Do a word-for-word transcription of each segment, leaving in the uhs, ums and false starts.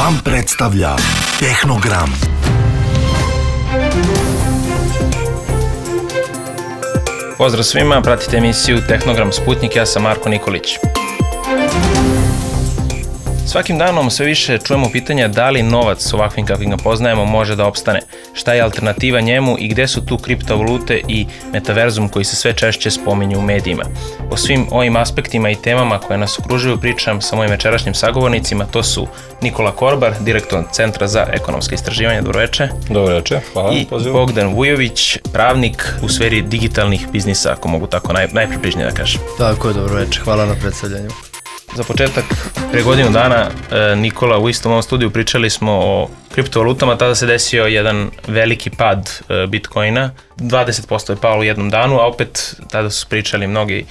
Gram predstavlja Tehnogram. Pozdrav svima, pratite emisiju Tehnogram Sputnik, ja sam Marko Nikolić. Svakim danom sve više čujemo pitanja da li novac ovakvim kakvim ga poznajemo može da opstane, šta je alternativa njemu i gde su tu kriptovalute i metaverzum koji se sve češće spominju u medijima. O svim ovim aspektima i temama koje nas okružuju pričam sa mojim večerašnjim sagovornicima, to su Nikola Korbar, direktor Centra za ekonomske istraživanja. Dobroveče. Dobroveče, hvala. I pozivu. Bogdan Vujović, pravnik u sferi digitalnih biznisa, ako mogu tako naj, najpribližnije da kažem. Tako je, dobroveče, hvala na predstavljanju. Za početak, pre godinu dana, Nikola, u istom ovom studiju pričali smo o kriptovalutama, tada se desio jedan veliki pad Bitcoina, dvadeset posto je palo u jednom danu, a opet tada su pričali mnogi,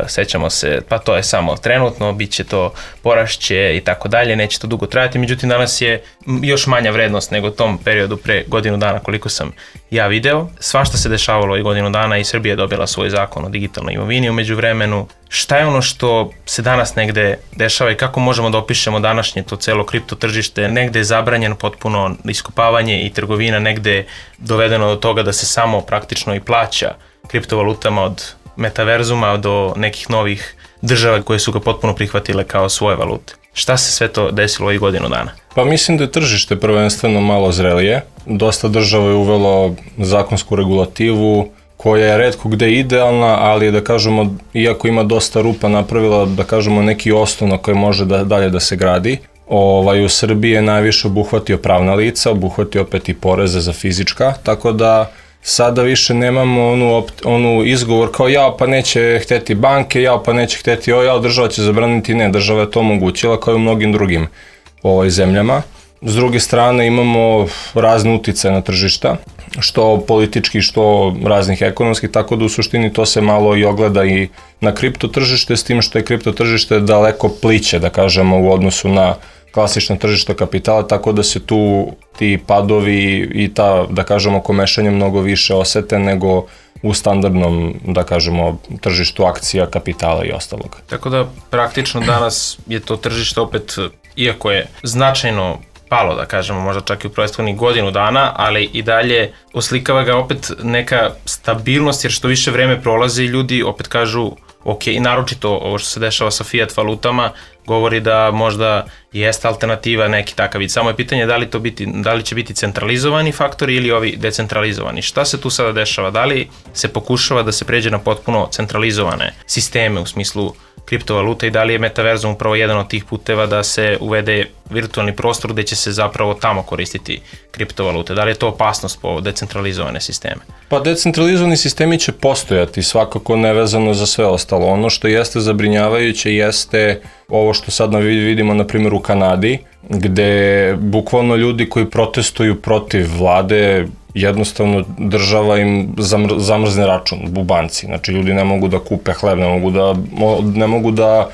sećamo se, pa to je samo trenutno, bit će to porašće i tako dalje, neće to dugo trajati, međutim danas je još manja vrednost nego tom periodu pre godinu dana koliko sam ja video. Svašta se dešavalo i godinu dana i Srbija je dobila svoj zakon o digitalnoj imovini u međuvremenu. Šta je ono što se danas negde dešava i kako možemo da opišemo današnje to celo kripto tržište? Negde je zabranjeno potpuno iskopavanje i trgovina, negde je dovedeno do toga da se samo praktično i plaća kriptovalutama od metaverzuma do nekih novih država koje su ga potpuno prihvatile kao svoje valute. Šta se sve to desilo ovih godinu dana? Pa mislim da je tržište prvenstveno malo zrelije. Dosta država je uvelo zakonsku regulativu koja je retko gde idealna, ali da kažemo, iako ima dosta rupa, napravila da kažemo neki osnov na koji može da, dalje da se gradi. Ovaj, u Srbiji je najviše obuhvatio pravna lica, obuhvatio opet i poreze za fizička, tako da sada više nemamo onu, onu izgovor kao ja pa neće hteti banke, ja pa neće hteti o, ja država će zabraniti, ne, država je to omogućila kao i u mnogim drugim ovaj, zemljama. S druge strane imamo razne uticaje na tržišta, što politički, što raznih ekonomskih, tako da u suštini to se malo i ogleda i na kripto tržište, s tim što je kripto tržište daleko pliće, da kažemo, u odnosu na klasično tržište kapitala, tako da se tu ti padovi i ta, da kažemo, komešanje mnogo više osete nego u standardnom, da kažemo, tržištu akcija, kapitala i ostalog. Tako da praktično danas je to tržište opet, iako je značajno palo, da kažemo, možda čak i u prethodnih godinu dana, ali i dalje oslikava ga opet neka stabilnost, jer što više vreme prolazi, ljudi opet kažu, ok, i naročito ovo što se dešava sa fiat valutama, govori da možda jeste alternativa neki takav vid. Samo je pitanje da li, to biti, da li će biti centralizovani faktori ili ovi decentralizovani. Šta se tu sada dešava? Da li se pokušava da se pređe na potpuno centralizovane sisteme u smislu kriptovaluta i da li je metaverzum upravo jedan od tih puteva da se uvede virtualni prostor gde će se zapravo tamo koristiti kriptovalute? Da li je to opasnost po decentralizovane sisteme? Pa decentralizovani sistemi će postojati, svakako nevezano za sve ostalo. Ono što jeste zabrinjavajuće jeste ovo što sad vidimo na primjer u Kanadi, gde bukvalno ljudi koji protestuju protiv vlade, jednostavno država im zamr- zamrzne račun u banci. Znači ljudi ne mogu da kupe hleb, ne mogu da, ne mogu da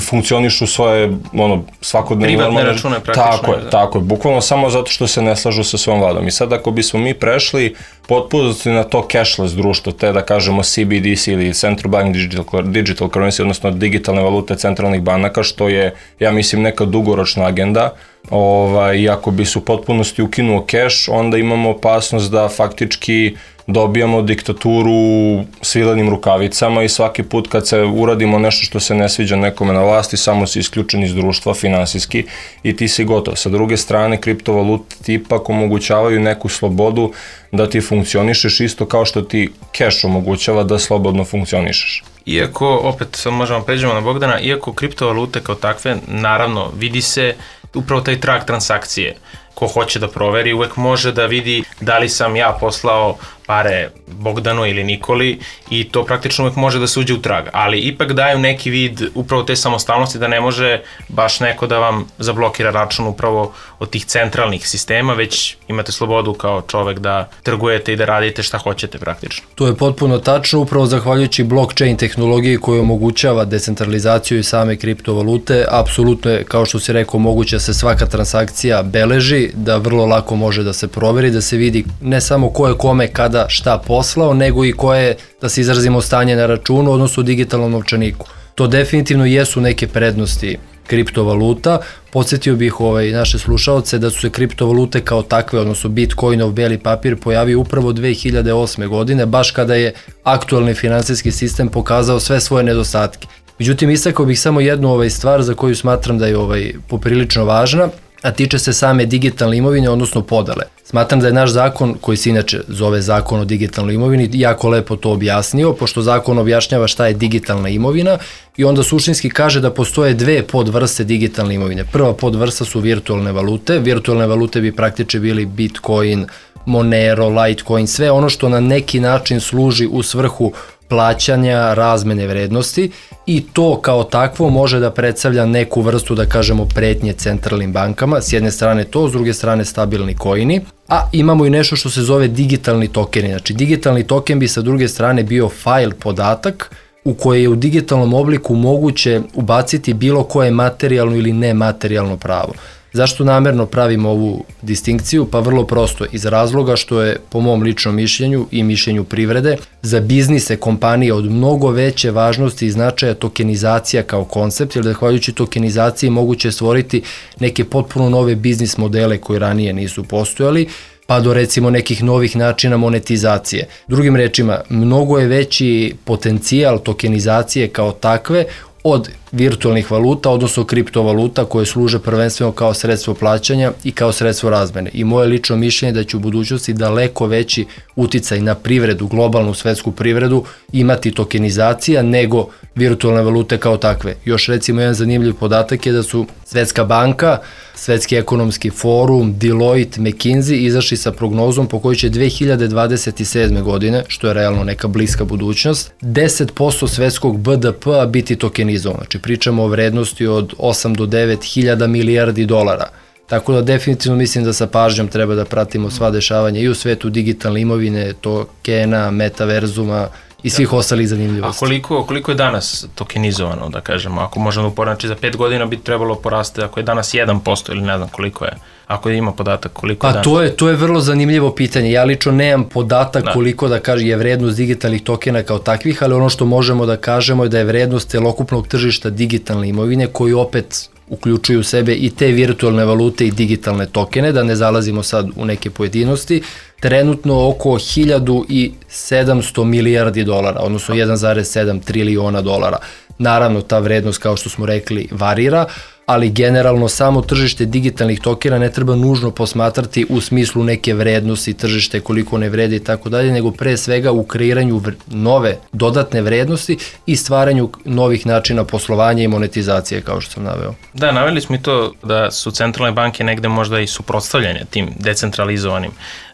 funkcionišu svoje ono, svakodnevne... Privatne normalne račune praktično. Tako je, tako je, bukvalno samo zato što se ne slažu sa svojom vladom. I sad ako bismo mi prešli potpuno na to cashless društvo, te da kažemo C B D C ili Central Bank Digital, digital Currency, odnosno digitalne valute centralnih banaka, što je, ja mislim, neka dugoročna agenda, ovaj, i ako bi se u potpunosti ukinuo cash, onda imamo opasnost da faktički dobijamo diktaturu svilenim rukavicama i svaki put kad se uradimo nešto što se ne sviđa nekome na vlasti, samo si isključen iz društva finansijski i ti si gotov. Sa druge strane, kriptovalute ti ipak omogućavaju neku slobodu da ti funkcionišeš isto kao što ti cash omogućava da slobodno funkcionišeš. Iako, opet možemo pređemo na Bogdana, iako kriptovalute kao takve, naravno, vidi se upravo taj trag transakcije. Ko hoće da proveri, uvek može da vidi da li sam ja poslao pare Bogdanu ili Nikoli i to praktično uvek može da se uđe u trag, ali ipak daju neki vid upravo te samostalnosti da ne može baš neko da vam zablokira račun upravo od tih centralnih sistema, već imate slobodu kao čovek da trgujete i da radite šta hoćete praktično. To je potpuno tačno, upravo zahvaljujući blockchain tehnologiji koja omogućava decentralizaciju i same kriptovalute, apsolutno je, kao što si rekao, moguće da se svaka transakcija beleži, da vrlo lako može da se proveri, da se vidi ne samo ko je kome kada šta poslao, nego i koje, da se izrazimo, stanje na računu, odnosno u digitalnom novčaniku. To definitivno jesu neke prednosti kriptovaluta. Podsjetio bih ovaj, naše slušaoce da su se kriptovalute kao takve, odnosno Bitcoinov beli papir, pojavio upravo dve hiljade osme godine, baš kada je aktualni finansijski sistem pokazao sve svoje nedostatke. Međutim, istakao bih samo jednu ovaj, stvar za koju smatram da je ovaj, poprilično važna, a tiče se same digitalne imovine, odnosno podele. Smatram da je naš zakon, koji se inače zove Zakon o digitalnoj imovini, jako lepo to objasnio, pošto zakon objašnjava šta je digitalna imovina i onda suštinski kaže da postoje dve podvrste digitalne imovine. Prva podvrsta su virtualne valute. Virtualne valute bi praktično bili Bitcoin, Monero, Litecoin, sve ono što na neki način služi u svrhu plaćanja razmene vrednosti i to kao takvo može da predstavlja neku vrstu, da kažemo, pretnje centralnim bankama, s jedne strane to, s druge strane stabilni koini, a imamo i nešto što se zove digitalni tokeni. Znači, digitalni token bi sa druge strane bio file podatak u koje je u digitalnom obliku moguće ubaciti bilo koje materijalno ili nematerijalno pravo. Zašto namerno pravimo ovu distinkciju? Pa vrlo prosto, iz razloga što je, po mom ličnom mišljenju i mišljenju privrede, za biznise kompanije od mnogo veće važnosti i značaja tokenizacija kao koncept, jer zahvaljujući tokenizaciji moguće stvoriti neke potpuno nove biznis modele koji ranije nisu postojali, pa do recimo nekih novih načina monetizacije. Drugim rečima, mnogo je veći potencijal tokenizacije kao takve od virtualnih valuta, odnosno kriptovaluta koje služe prvenstveno kao sredstvo plaćanja i kao sredstvo razmene. I moje lično mišljenje je da će u budućnosti daleko veći uticaj na privredu, globalnu svetsku privredu, imati tokenizacija nego virtualne valute kao takve. Još recimo jedan zanimljiv podatak je da su Svetska banka, Svetski ekonomski forum, Deloitte, McKinsey izašli sa prognozom po kojoj će dve hiljade dvadeset sedme godine, što je realno neka bliska budućnost, deset posto svetskog B D P-a biti tokenizovan. Znači pričamo o vrednosti od osam do devet hiljada milijardi dolara. Tako da definitivno mislim da sa pažnjom treba da pratimo sva dešavanja i u svetu digitalne imovine, tokena, metaverzuma i svih ostalih zanimljivosti. A koliko, koliko je danas tokenizovano, da kažemo, ako možemo uporati, za pet godina bi trebalo poraste, ako je danas jedan posto ili ne znam koliko je, ako ima podatak koliko je danas? Pa to je, to je vrlo zanimljivo pitanje. Ja lično nemam podatak da. koliko da kaže je vrednost digitalnih tokena kao takvih, ali ono što možemo da kažemo je da je vrednost celokupnog tržišta digitalne imovine, koji opet uključuju u sebe i te virtualne valute i digitalne tokene, da ne zalazimo sad u neke pojedinosti, trenutno oko hiljadu sedamsto milijardi dolara, odnosno jedan zarez sedam triliona dolara. Naravno, ta vrednost, kao što smo rekli, varira, ali generalno samo tržište digitalnih tokena ne treba nužno posmatrati u smislu neke vrednosti, tržište koliko ne vrede i tako dalje, nego pre svega u kreiranju nove dodatne vrednosti i stvaranju novih načina poslovanja i monetizacije, kao što sam naveo. Da, naveli smo i to da su centralne banke negde možda i suprotstavljanje tim decentralizovanim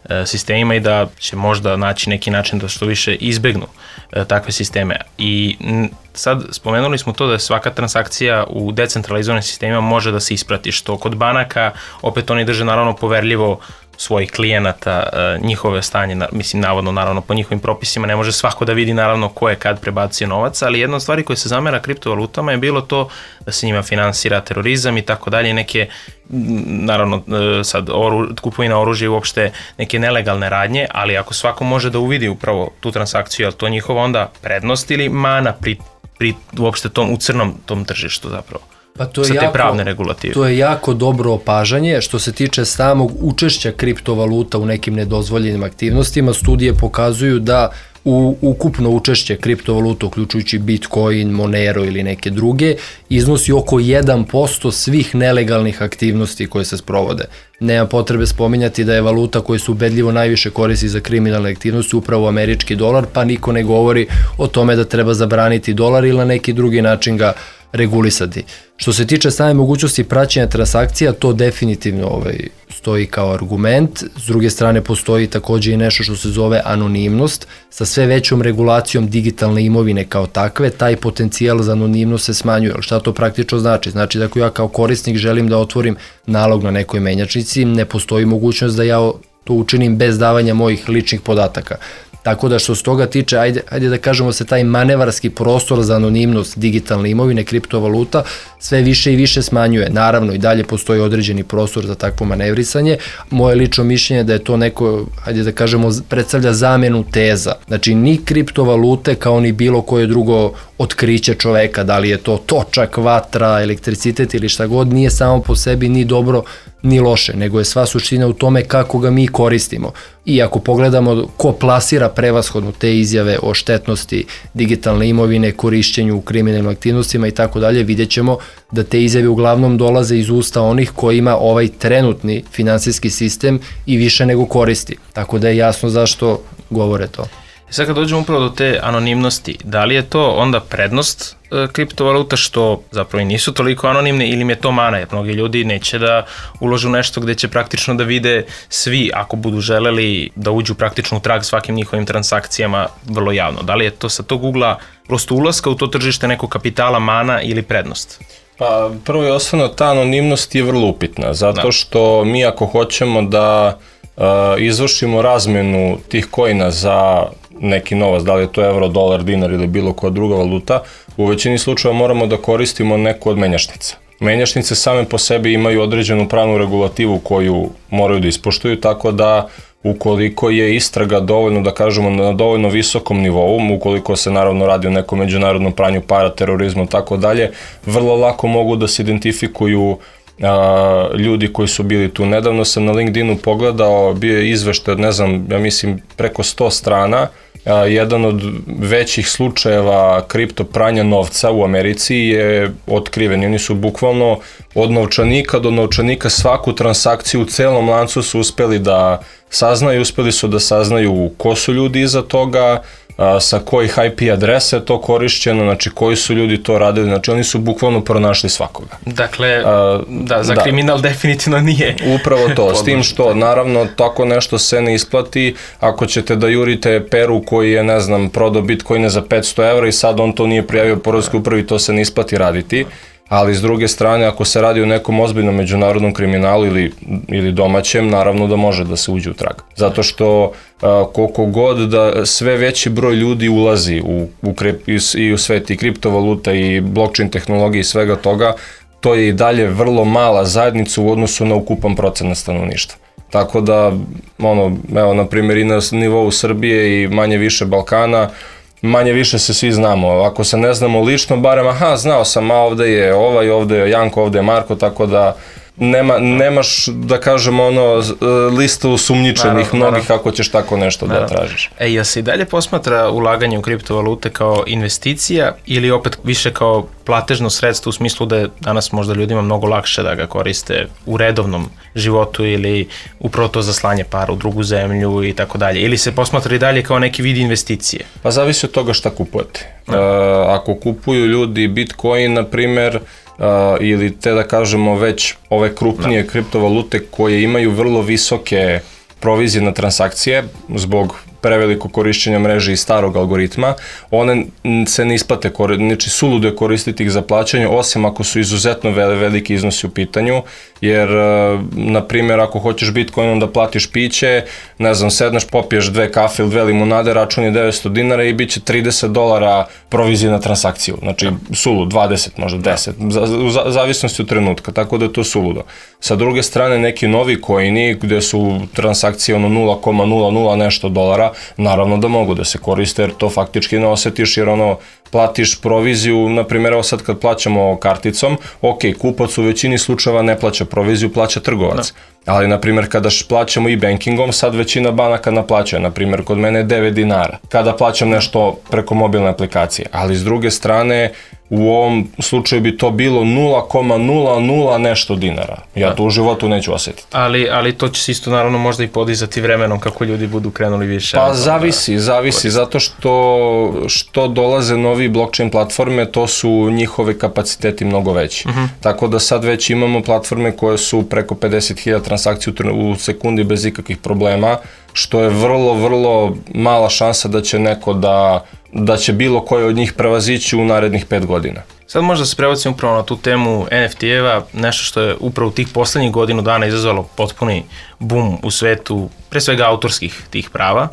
e, sistemima i da će možda naći neki način da što više izbegnu e, takve sisteme. I n, sad spomenuli smo to da svaka transakcija u decentralizovanim sistemima može da se isprati, što kod banaka opet oni drže naravno poverljivo svojih klijenata, njihove stanje, mislim navodno naravno po njihovim propisima ne može svako da vidi naravno ko je kad prebacio novac, ali jedna od stvari koja se zamera kriptovalutama je bilo to da se njima finansira terorizam i tako dalje, neke naravno sad oru, kupovina oružja i uopšte neke nelegalne radnje, ali ako svako može da uvidi upravo tu transakciju, je li to njihova onda prednost ili mana pri, pri uopšte tom u crnom tom tržištu zapravo? Pa to je sa te jako, pravne regulative. To je jako dobro opažanje. Što se tiče samog učešća kriptovaluta u nekim nedozvoljenim aktivnostima, studije pokazuju da u ukupno učešće kriptovaluta, uključujući Bitcoin, Monero ili neke druge, iznosi oko jedan posto svih nelegalnih aktivnosti koje se sprovode. Nema potrebe spominjati da je valuta koja se ubedljivo najviše koristi za kriminalne aktivnosti upravo američki dolar, pa niko ne govori o tome da treba zabraniti dolar ili na neki drugi način ga regulisati. Što se tiče same mogućnosti praćenja transakcija, to definitivno ovaj, stoji kao argument. S druge strane, postoji takođe i nešto što se zove anonimnost. Sa sve većom regulacijom digitalne imovine kao takve, taj potencijal za anonimnost se smanjuje. Ali šta to praktično znači? Znači da ako ja kao korisnik želim da otvorim nalog na nekoj menjačnici, ne postoji mogućnost da ja to učinim bez davanja mojih ličnih podataka. Tako da što se toga tiče, ajde, ajde da kažemo se taj manevarski prostor za anonimnost digitalne imovine, kriptovaluta, sve više i više smanjuje. Naravno i dalje postoji određeni prostor za takvo manevrisanje. Moje lično mišljenje je da je to neko, ajde da kažemo, predstavlja zamenu teza. Znači ni kriptovalute kao ni bilo koje drugo otkriće čoveka, da li je to točak, vatra, elektricitet ili šta god, nije samo po sebi ni dobro ni loše, nego je sva suština u tome kako ga mi koristimo. I ako pogledamo ko plasira prevashodno te izjave o štetnosti digitalne imovine, korišćenju u kriminalnim aktivnostima i tako dalje, vidjet ćemo da te izjave uglavnom dolaze iz usta onih kojima ovaj trenutni finansijski sistem i više nego koristi. Tako da je jasno zašto govore to. I sad kad dođemo upravo do te anonimnosti, da li je to onda prednost e, kriptovaluta što zapravo i nisu toliko anonimne ili im je to mana, jer mnogi ljudi neće da ulože u nešto gde će praktično da vide svi ako budu želeli da uđu praktično u trag svakim njihovim transakcijama vrlo javno. Da li je to sa tog ugla prosto ulaska u to tržište nekog kapitala mana ili prednost? Pa prvo i osnovno ta anonimnost je vrlo upitna, zato da. Što mi ako hoćemo da uh, izvršimo razmenu tih coina za neki novac, da li je to euro, dolar, dinar ili bilo koja druga valuta, u većini slučajeva moramo da koristimo neku od menjačnica. Menjačnice same po sebi imaju određenu pravnu regulativu koju moraju da ispoštuju, tako da ukoliko je istraga dovoljno, da kažemo, na dovoljno visokom nivou, ukoliko se naravno radi o nekom međunarodnom pranju para, terorizmu i tako dalje, vrlo lako mogu da se identifikuju a, ljudi koji su bili tu. Nedavno sam na LinkedInu pogledao, bio je izveštaj od, ne znam, ja mislim preko sto strana, a, jedan od većih slučajeva kripto pranja novca u Americi je otkriven. Oni su bukvalno od novčanika do novčanika svaku transakciju u celom lancu su uspeli da saznaju, uspeli su da saznaju ko su ljudi iza toga, a, sa kojih I P adresa je to korišćeno, znači koji su ljudi to radili, znači oni su bukvalno pronašli svakoga. Dakle, a, da, za da. kriminal definitivno nije. Upravo to, s tim što naravno tako nešto se ne isplati ako ćete da jurite Peru koji je, ne znam, prodao bitcoine za petsto evra i sad on to nije prijavio poreskoj upravi, to se ne isplati raditi. Ali s druge strane, ako se radi o nekom ozbiljnom međunarodnom kriminalu ili, ili domaćem, naravno da može da se uđe u trag. Zato što a, koliko god da sve veći broj ljudi ulazi u, u, krip, i u svet i kriptovaluta i blockchain tehnologije i svega toga, to je i dalje vrlo mala zajednica u odnosu na ukupan procenat stanovništva. Tako da, ono, evo, na primjer i na nivou Srbije i manje više Balkana, manje više se svi znamo, ako se ne znamo lično, barem aha, znao sam, a ovde je ovaj, ovde je Janko, ovde je Marko, tako da nema, nemaš, da kažemo, ono, listu sumnjičenih mnogih kako ćeš tako nešto naravno. Da tražiš. E, jel se i dalje posmatra ulaganje u kriptovalute kao investicija ili opet više kao platežno sredstvo u smislu da je danas možda ljudima mnogo lakše da ga koriste u redovnom životu ili upravo to za slanje para u drugu zemlju i tako dalje, ili se posmatra i dalje kao neki vid investicije? Pa zavisi od toga šta kupujete. Uh, ako kupuju ljudi Bitcoin, na primer, Uh, ili te da kažemo već ove krupnije no. kriptovalute koje imaju vrlo visoke provizije na transakcije zbog preveliko korišćenja mreže i starog algoritma, one se ne isplate, znači suludo je koristiti ih za plaćanje, osim ako su izuzetno veliki iznosi u pitanju, jer, na primjer, ako hoćeš Bitcoinom da platiš piće, ne znam, sedneš, popiješ dve kafe ili dve limunade, račun je devetsto dinara i bit će trideset dolara provizije na transakciju, znači sulud, dvadeset, možda deset, u zavisnosti od trenutka, tako da je to suludo. Sa druge strane, neki novi coini gde su transakcije ono nula zarez nula nula nešto dolara, naravno da mogu da se koriste jer to faktički ne osetiš jer ono platiš proviziju, na primjer evo sad kad plaćamo karticom, ok, kupac u većini slučajeva ne plaća proviziju, plaća trgovac. No. Ali na primjer kada plaćamo e-bankingom, sad većina banaka naplaćuje, na primjer kod mene je devet dinara kada plaćam nešto preko mobilne aplikacije, ali s druge strane u ovom slučaju bi to bilo nula zarez nula nula nešto dinara. Ja to u životu neću osjetiti. Ali, ali to će se isto naravno možda i podizati vremenom kako ljudi budu krenuli više. Pa zavisi, da, zavisi, zato što, što dolaze novi blockchain platforme, to su njihove kapaciteti mnogo veći. Uh-huh. Tako da sad već imamo platforme koje su preko pedeset hiljada transakcija u sekundi bez ikakvih problema, što je vrlo, vrlo mala šansa da će neko da, da će bilo koje od njih prevazići u narednih pet godina. Sad možda se prebacimo upravo na tu temu N F T-eva, nešto što je upravo tih poslednjih godinu dana izazvalo potpuni bum u svetu, pre svega autorskih tih prava.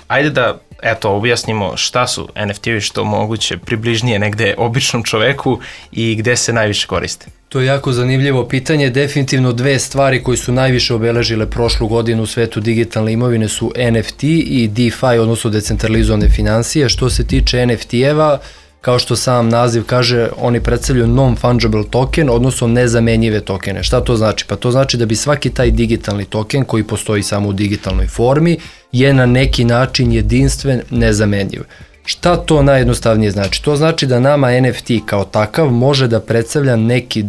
Ajde da, eto, objasnimo šta su en ef te-ovi, što moguće približnije negde običnom čoveku i gde se najviše koriste. To je jako zanimljivo pitanje. Definitivno dve stvari koje su najviše obeležile prošlu godinu u svetu digitalne imovine su en ef te i DeFi, odnosno decentralizovane finansije. Što se tiče en ef te-eva, kao što sam naziv kaže, oni predstavljaju non-fungible token, odnosno nezamenjive tokene. Šta to znači? Pa to znači da bi svaki taj digitalni token koji postoji samo u digitalnoj formi je na neki način jedinstven, nezamenjiv. Šta to najjednostavnije znači? To znači da nama en ef te kao takav može da predstavlja neki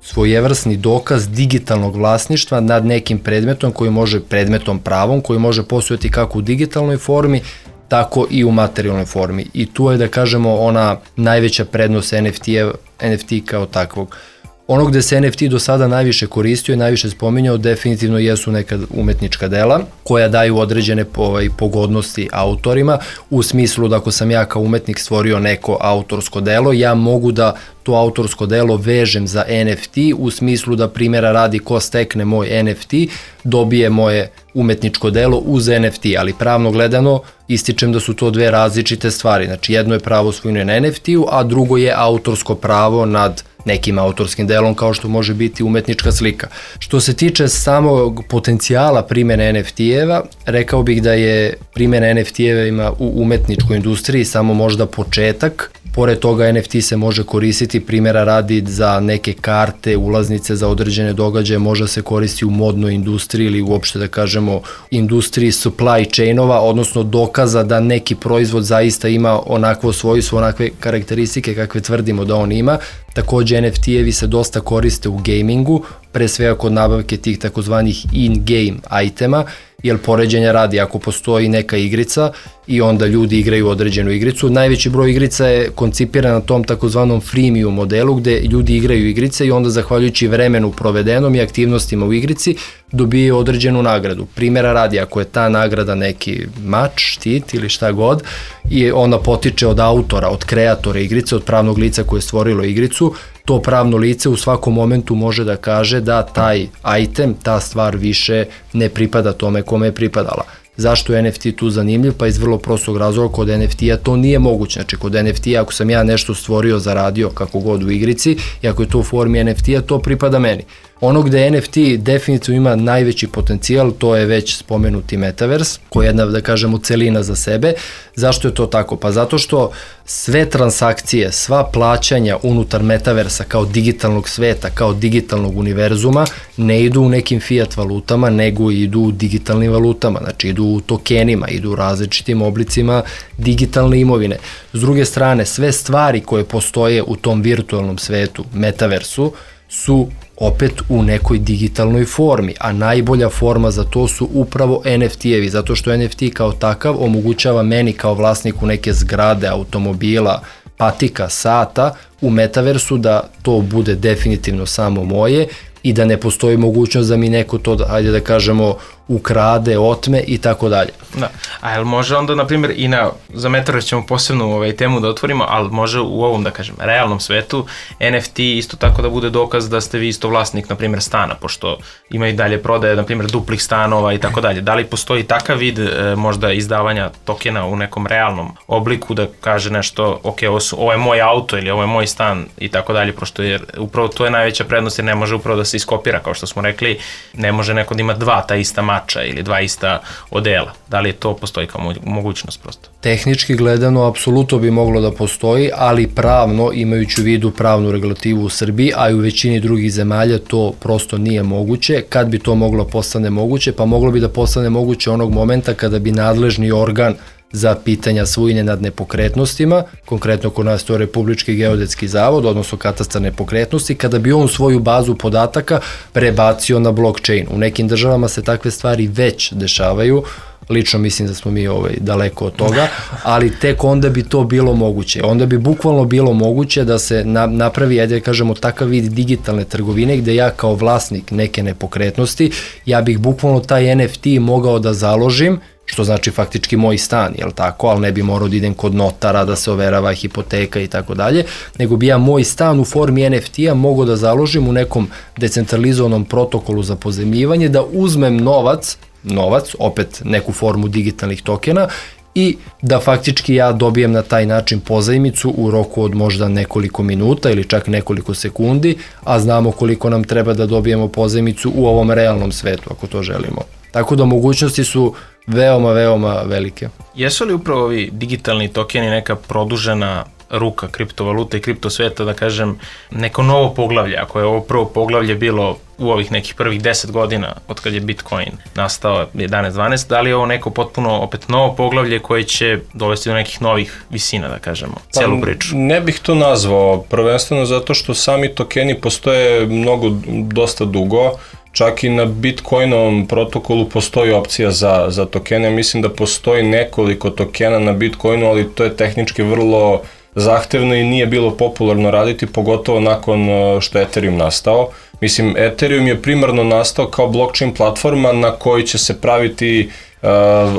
svojevrsni dokaz digitalnog vlasništva nad nekim predmetom koji može, predmetom pravom, koji može postojati kako u digitalnoj formi, tako i u materijalnoj formi. I tu je, da kažemo, ona najveća prednost en ef te, en ef te kao takvog. Ono gde se en ef te do sada najviše koristio i najviše spominjao definitivno jesu neka umetnička dela koja daju određene ovaj, pogodnosti autorima, u smislu da ako sam ja kao umetnik stvorio neko autorsko delo, ja mogu da to autorsko delo vežem za en ef te, u smislu da primjera radi ko stekne moj en ef te, dobije moje umetničko delo uz en ef te, ali pravno gledano ističem da su to dve različite stvari. Znači jedno je pravo svojine na en ef te-u, a drugo je autorsko pravo nad nekim autorskim delom kao što može biti umetnička slika. Što se tiče samog potencijala primjene en ef te-eva, rekao bih da je primjena en ef te-eva u umetničkoj industriji samo možda početak. Pored toga en ef te se može koristiti, primjera radi, za neke karte, ulaznice za određene događaje, može se koristiti u modnoj industriji ili uopšte da kažemo industriji supply chainova, odnosno dokaza da neki proizvod zaista ima onakvo svojstvo, onakve karakteristike kakve tvrdimo da on ima. Takođe en ef te-evi se dosta koriste u gamingu, pre svega kod nabavke tih takozvanih in-game itema, jer poređenja radi, ako postoji neka igrica i onda ljudi igraju određenu igricu, najveći broj igrica je koncipiran na tom takozvanom freemium modelu gde ljudi igraju igrice i onda zahvaljujući vremenu provedenom i aktivnostima u igrici dobije određenu nagradu. Primjera radi, ako je ta nagrada neki mač, štit ili šta god, i ona potiče od autora, od kreatora igrice, od pravnog lica koje je stvorilo igricu, to pravno lice u svakom momentu može da kaže da taj item, ta stvar više ne pripada tome kome je pripadala. Zašto je en ef te tu zanimljiv? Pa iz vrlo prostog razloga, kod en ef te-a to nije moguće. Znači kod en ef te-a ako sam ja nešto stvorio, zaradio kako god u igrici i ako je to u formi en ef te-a, to pripada meni. Ono gde en ef te definitivno ima najveći potencijal, to je već spomenuti Metaverse, koja je jedna, da kažemo, celina za sebe. Zašto je to tako? Pa zato što sve transakcije, sva plaćanja unutar Metaversa kao digitalnog sveta, kao digitalnog univerzuma, ne idu u nekim fiat valutama, nego idu u digitalnim valutama, znači idu u tokenima, idu u različitim oblicima digitalne imovine. S druge strane, sve stvari koje postoje u tom virtualnom svetu, Metaversu, su opet u nekoj digitalnoj formi, a najbolja forma za to su upravo en ef te-evi, zato što en ef te kao takav omogućava meni kao vlasniku neke zgrade, automobila, patika, sata u Metaversu da to bude definitivno samo moje i da ne postoji mogućnost da mi neko to, ajde da kažemo, ukrade, otme i tako dalje. Da, a jel može onda, na primjer, i na, za Metaverse ćemo posebnu ovaj, temu da otvorimo, ali može u ovom, da kažem, realnom svetu en ef te isto tako da bude dokaz da ste vi isto vlasnik, na primjer, stana, pošto ima i dalje prodaje, na primjer, duplih stanova i tako dalje. Da li postoji takav vid e, možda izdavanja tokena u nekom realnom obliku da kaže nešto, ok, ovo, su, ovo je moj auto ili ovo je moj stan i tako dalje, pošto jer upravo to je najveća prednost jer ne može upravo da se iskopira, kao što smo rekli, ne može neko da ima dva ta ista mača ili dva ista odela. Da li to postoji kao mogućnost prosto? Tehnički gledano, apsolutno bi moglo da postoji, ali pravno, imajući u vidu pravnu regulativu u Srbiji, a i u većini drugih zemalja, to prosto nije moguće. Kad bi to moglo postane moguće? Pa moglo bi da postane moguće onog momenta kada bi nadležni organ za pitanja svojine nad nepokretnostima, konkretno kod nas to je Republički geodetski zavod, odnosno katastar nepokretnosti, kada bi on svoju bazu podataka prebacio na blockchain. U nekim državama se takve stvari već dešavaju, lično mislim da smo mi ovaj, daleko od toga, ali tek onda bi to bilo moguće. Onda bi bukvalno bilo moguće da se na, napravi, ajde da kažemo, takav vid digitalne trgovine gde ja kao vlasnik neke nepokretnosti, ja bih bukvalno taj en ef te mogao da založim, što znači faktički moj stan, jel tako, ali ne bi morao da idem kod notara da se overava hipoteka i tako dalje, nego bi ja moj stan u formi en ef te-a mogao da založim u nekom decentralizovanom protokolu za pozemljivanje, da uzmem novac, novac, opet neku formu digitalnih tokena, i da faktički ja dobijem na taj način pozajmicu u roku od možda nekoliko minuta ili čak nekoliko sekundi, a znamo koliko nam treba da dobijemo pozajmicu u ovom realnom svetu ako to želimo. Tako da mogućnosti su veoma, veoma velike. Jesu li upravo ovi digitalni tokeni neka produžena ruka kriptovaluta i kriptosveta, da kažem, neko novo poglavlje, ako je ovo prvo poglavlje bilo u ovih nekih prvih deset godina od kad je Bitcoin nastao jedanaest dvanaest, da li je ovo neko potpuno opet novo poglavlje koje će dovesti do nekih novih visina, da kažemo, celu priču? Pa, ne bih to nazvao, prvenstveno zato što sami tokeni postoje mnogo, dosta dugo, čak i na Bitcoinovom protokolu postoji opcija za, za tokene, mislim da postoji nekoliko tokena na Bitcoinu, ali to je tehnički vrlo zahtevno i nije bilo popularno raditi, pogotovo nakon što je Ethereum nastao. Mislim, Ethereum je primarno nastao kao blockchain platforma na kojoj će se praviti uh,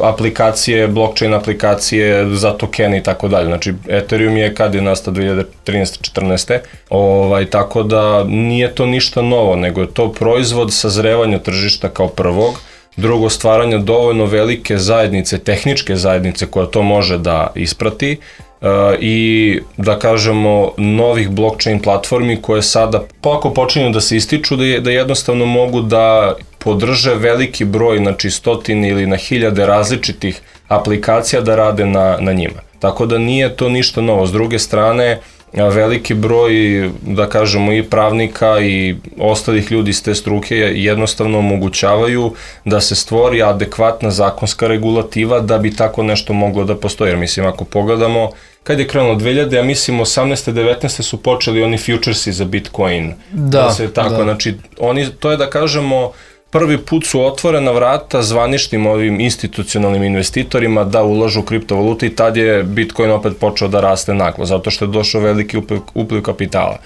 aplikacije, blockchain aplikacije za tokene i tako dalje. Znači, Ethereum je kad je nastao dve hiljade trinaeste četrnaeste Ovaj, tako da nije to ništa novo, nego je to proizvod sazrevanja tržišta kao prvog, drugo stvaranja dovoljno velike zajednice, tehničke zajednice koja to može da isprati, Uh, i da kažemo novih blockchain platformi koje sada polako počinju da se ističu, da, je, da jednostavno mogu da podrže veliki broj, znači stotine ili na hiljade različitih aplikacija da rade na, na njima. Tako da nije to ništa novo. S druge strane, veliki broj, da kažemo, i pravnika i ostalih ljudi iz te struke jednostavno omogućavaju da se stvori adekvatna zakonska regulativa da bi tako nešto moglo da postoji. Jer mislim, ako pogledamo, kad je krenulo dve hiljade, ja mislim osamnaeste devetnaeste su počeli oni futuresi za Bitcoin. Da, da se tako, da. Znači, oni, to je da kažemo, prvi put su otvorena vrata zvaničnim ovim institucionalnim investitorima da ulažu u kriptovalute i tad je Bitcoin opet počeo da raste naglo, zato što je došao veliki upliv, upliv kapitala.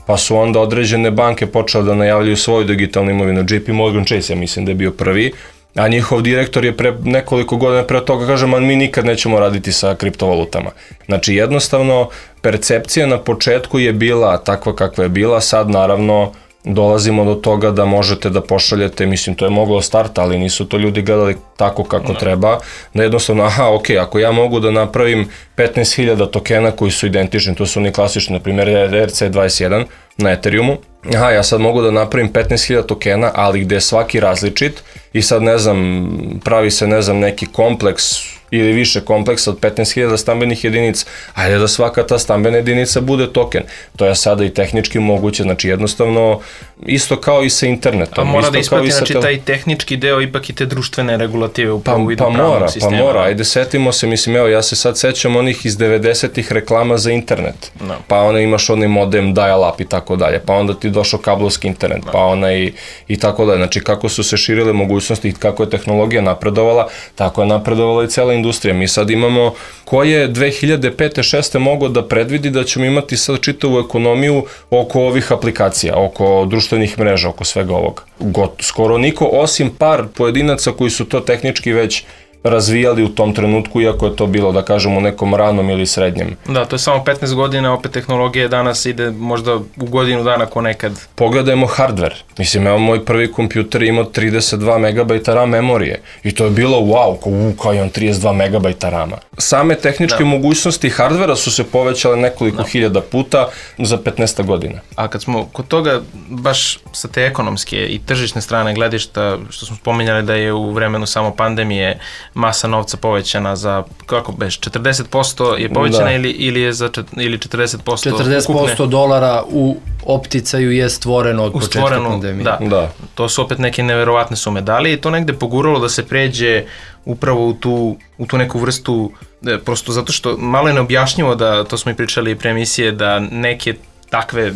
Pa su onda određene banke počele da najavljaju svoju digitalnu imovinu. J P Morgan Chase, ja mislim da je bio prvi, a njihov direktor je pre nekoliko godina pre toga kaže, man, mi nikad nećemo raditi sa kriptovalutama. Znači, jednostavno, percepcija na početku je bila takva kakva je bila, sad naravno dolazimo do toga da možete da pošaljete, mislim, to je moglo starta, ali nisu to ljudi gledali tako kako no. treba, da jednostavno, aha, ok, ako ja mogu da napravim petnaest hiljada tokena koji su identični, to su oni klasični, na primjer R C dvadeset jedan na Ethereumu, aha, ja sad mogu da napravim petnaest hiljada tokena, ali gde je svaki različit i sad, ne znam, pravi se, ne znam, neki kompleks ili više kompleksa od petnaest hiljada stambenih jedinica, ajde da svaka ta stambena jedinica bude token. To je sada i tehnički moguće, znači jednostavno isto kao i sa internetom. A mora isto da isprati, znači tel... taj tehnički deo ipak i te društvene regulative u pa, vidu pa pravnog mora, sistema. Pa mora, ajde setimo se, mislim, evo, ja se sad sećam onih iz devedesetih reklama za internet, no. pa onda imaš onaj modem dial-up i tako dalje, pa onda ti došao kablovski internet, no. pa ona i, i tako dalje. Znači kako su se širile mogućnosti i kako je tehnologija napredovala, tako je napredovala i cela industrija. Mi sad imamo, ko je dve hiljade pete šeste mogao da predvidi da ćemo imati sad čitavu ekonomiju oko ovih aplikacija, oko društvenih mreža, oko svega ovoga. Got, skoro niko, osim par pojedinaca koji su to tehnički već razvijali u tom trenutku, iako je to bilo, da kažemo, u nekom ranom ili srednjem. Da, to je samo petnaest godina, opet tehnologija danas ide možda u godinu dana ko nekad. Pogledajmo hardware. Mislim, evo, moj prvi kompjuter imao trideset dva megabajta RAM memorije i to je bilo wow, kao, u, kao imam trideset dva megabajta rama. Same tehničke da. mogućnosti hardvera su se povećale nekoliko da. hiljada puta za petnaest godina. A kad smo kod toga, baš sa te ekonomske i tržišne strane gledišta, što smo spominjali da je u vremenu samo pandemije masa novca povećana za, kako beš, četrdeset posto je povećana da. ili, ili je za čet, ili četrdeset posto četrdeset posto ukupne... dolara u opticaju je stvoreno od početka pandemije. Da. da, to su opet neke neverovatne sume. Da li je to negde poguralo da se pređe upravo u tu, u tu neku vrstu, da, prosto zato što malo je neobjašnjivo da, to smo i pričali pre emisije, da neke takve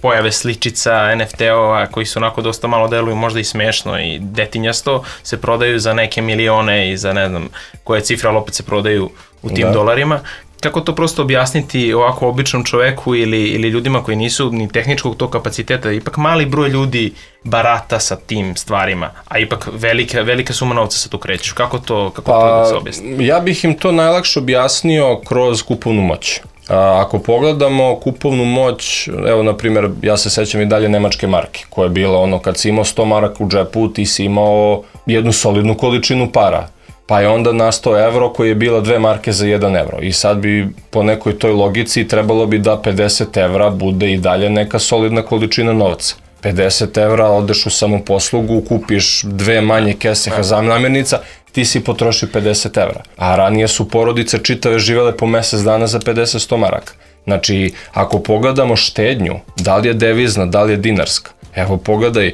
pojave sličica, N F T-ova koji su onako dosta malo deluju, možda i smešno i detinjasto, se prodaju za neke milione i za ne znam koje cifre, ali opet se prodaju u tim da. dolarima. Kako to prosto objasniti ovako običnom čoveku ili, ili ljudima koji nisu ni tehničkog tog kapaciteta, ipak mali broj ljudi barata sa tim stvarima, a ipak velika, velika suma novca se tu kreću. Kako to, kako pa, to da se objasni? Ja bih im to najlakše objasnio kroz kupovnu moć. A, ako pogledamo kupovnu moć, evo, na primjer, ja se sećam i dalje nemačke marke, koja je bila ono, kad si imao sto maraka u džepu, ti si imao jednu solidnu količinu para. Pa je onda nastao evro koji je bila dve marke za jedan evro. I sad bi po nekoj toj logici trebalo bi da pedeset evra bude i dalje neka solidna količina novca. pedeset evra, odeš u samoposlugu, kupiš dve manje kese namirnica, ti si potrošio pedeset evra. A ranije su porodice čitave živele po mesec dana za pedeset do sto maraka. Znači, ako pogledamo štednju, da li je devizna, da li je dinarska, evo pogledaj,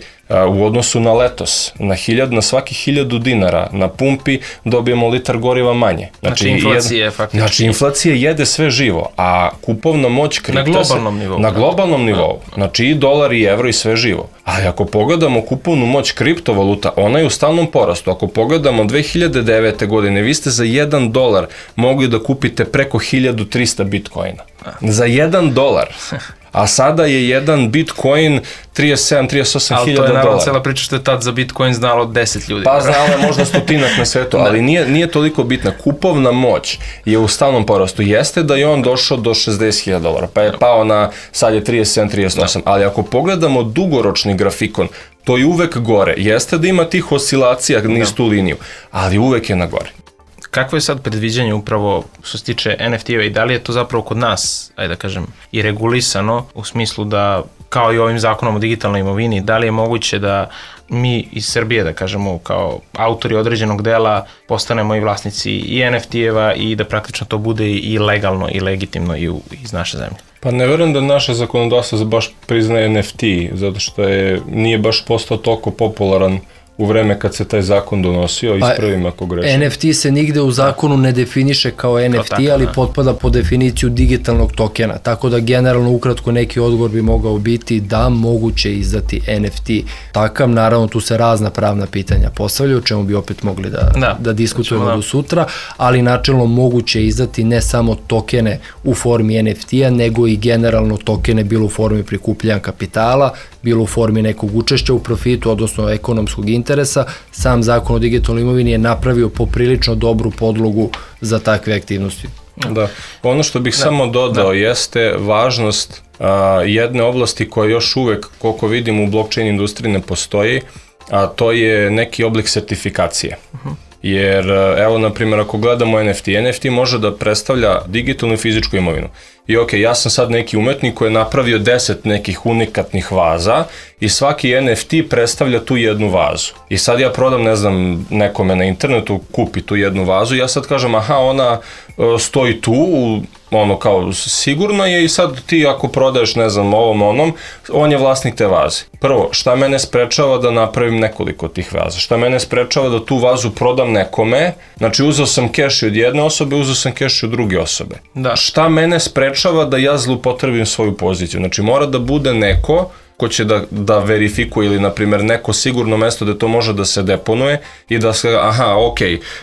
u odnosu na letos, na, hiljad, na svaki hiljadu dinara na pumpi dobijemo litar goriva manje. Znači, znači inflacija je faktički. Znači, inflacija jede sve živo, a kupovna moć kripta... Na globalnom se, nivou. Na globalnom nivou. Znači, i dolar i evro i sve živo. Ali ako pogledamo kupovnu moć kriptovaluta, ona je u stalnom porastu. Ako pogledamo dve hiljade devete. godine, vi ste za jedan dolar mogli da kupite preko hiljadu trista bitcoina. Za jedan dolar. A sada je jedan bitcoin trideset sedam do trideset osam hiljada dolara. Ali to je naravno cela priča što je tad za bitcoin znalo deset ljudi. Pa znalo je možda stotinak na svetu, ali nije, nije toliko bitna. Kupovna moć je u stalnom porastu. Jeste da je on došao do šezdeset hiljada dolara, pa je pao na, sad je trideset sedam do trideset osam. Ali ako pogledamo dugoročni grafikon, to je uvek gore. Jeste da ima tih oscilacija niz tu liniju, ali uvek je na gore. Kakvo je sad predviđanje upravo što se tiče en ef ti-eva i da li je to zapravo kod nas, ajde da kažem, i regulisano u smislu da, kao i ovim zakonom o digitalnoj imovini, da li je moguće da mi iz Srbije, da kažemo, kao autori određenog dela postanemo i vlasnici i en ef ti-eva i da praktično to bude i legalno i legitimno i u, iz naše zemlje? Pa ne verujem da naša zakonodavstva baš priznaje en ef ti, zato što je, nije baš postao toliko popularan u vreme kad se taj zakon donosio, ispravim ako grešim. en ef ti se nigde u zakonu ne definiše kao en ef ti, tako, ali da. potpada po definiciju digitalnog tokena, tako da generalno ukratko neki odgovor bi mogao biti da moguće izdati en ef ti takav, naravno tu se razna pravna pitanja postavljaju, o čemu bi opet mogli da, da, da diskutujemo da. do sutra, ali načelno moguće izdati ne samo tokene u formi en ef ti-a, nego i generalno tokene bilo u formi prikupljanja kapitala, bilo u formi nekog učešća u profitu, odnosno ekonomskog interesa. Sam zakon o digitalnoj imovini je napravio poprilično dobru podlogu za takve aktivnosti. Da, ono što bih da. samo dodao da. jeste važnost a, jedne oblasti koja još uvek, koliko vidim, u blockchain industriji ne postoji, a to je neki oblik sertifikacije. Uh-huh. Jer, evo, na primjer, ako gledamo en ef ti, en ef ti može da predstavlja digitalnu i fizičku imovinu. I ok, ja sam sad neki umetnik koji je napravio deset nekih unikatnih vaza i svaki en ef ti predstavlja tu jednu vazu. I sad ja prodam, ne znam, nekome na internetu, kupi tu jednu vazu i ja sad kažem, aha, ona stoji tu, ono kao sigurno je i sad ti ako prodaješ, ne znam, ovom onom, on je vlasnik te vaze. Prvo, šta mene sprečava da napravim nekoliko tih vaza? Šta mene sprečava da tu vazu prodam nekome? Znači, uzeo sam keš od jedne osobe, uzeo sam keš od druge osobe. Da. Šta mene sprečava da ja zloupotrebim svoju poziciju? Znači, mora da bude neko ko će da, da verifikuje ili, na primjer, neko sigurno mesto gde to može da se deponuje i da se, aha, ok,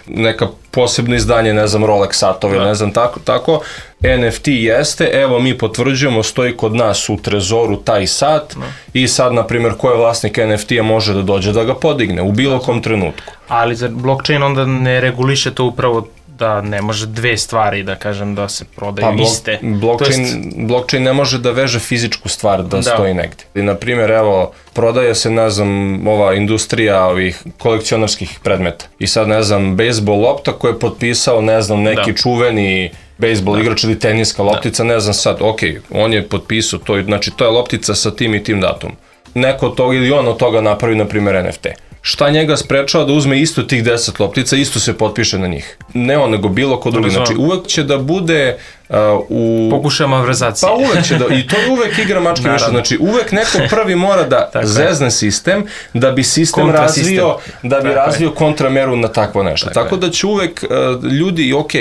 neka posebno izdanje, ne znam, Rolex satove, ne znam, tako, tako, en ef ti jeste, evo mi potvrđujemo, stoji kod nas u trezoru taj sat no. i sad, na primjer, ko je vlasnik en ef ti-a može da dođe da ga podigne u bilo kom trenutku. Ali za blockchain onda ne reguliše to upravo da ne može dve stvari, da kažem, da se prodaju pa, iste. Blockchain, jest... blockchain ne može da veže fizičku stvar da, da. stoji negde. I, na primjer, evo, prodaje se, ne znam, ova industrija ovih kolekcionarskih predmeta. I sad, ne znam, bejsbol lopta koji je potpisao, ne znam, neki da. čuveni bejsbol da. igrač ili teniska loptica, da. ne znam sad, ok, on je potpisao to, znači to je loptica sa tim i tim datumom. Neko od toga ili on od toga napravi, na primjer, en ef te. Šta njega sprečava da uzme isto tih deset loptica, isto se potpiše na njih. Ne on, nego bilo ko drugi. Znači, uvek će da bude uh, u... Pokušaj malverzacije. Pa uvek će da, i to je uvek igra mačke više. Znači, uvek neko prvi mora da zezne sistem, da bi sistem razvio, da bi razvio kontrameru na takvo nešto. Tako, Tako da će uvek uh, ljudi, ok,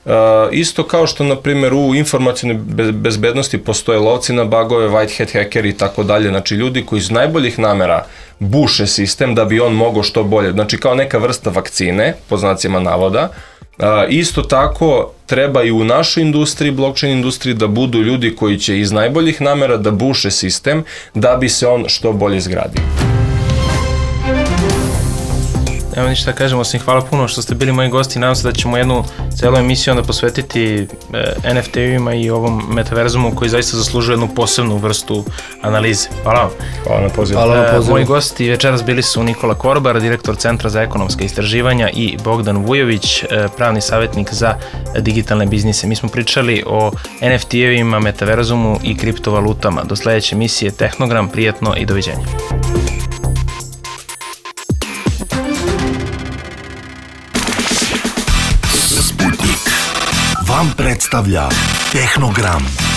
Uh, isto kao što, na primjer, u informacijnoj bezbednosti postoje lovci na bagove, white hat hackeri i tako dalje, znači ljudi koji iz najboljih namera buše sistem da bi on mogao što bolje, znači kao neka vrsta vakcine, po znacima navoda. Uh, isto tako treba i u našoj industriji, blockchain industriji, da budu ljudi koji će iz najboljih namera da buše sistem da bi se on što bolje izgradio. Evo ništa da kažem, osim hvala puno što ste bili moji gosti. Nadam se da ćemo jednu celu emisiju onda posvetiti N F T-ovima i ovom metaverzumu koji zaista zaslužuje jednu posebnu vrstu analize. Hvala vam. Hvala na pozivu. Hvala na pozivu. Moji gosti večeras bili su Nikola Korbar, direktor Centra za ekonomska istraživanja, i Bogdan Vujović, pravni savjetnik za digitalne biznise. Mi smo pričali o N F T-ovima, metaverzumu i kriptovalutama. Do sledeće emisije Tehnogram, prijatno i doviđenja. Sputnik vam predstavlja Tehnogram.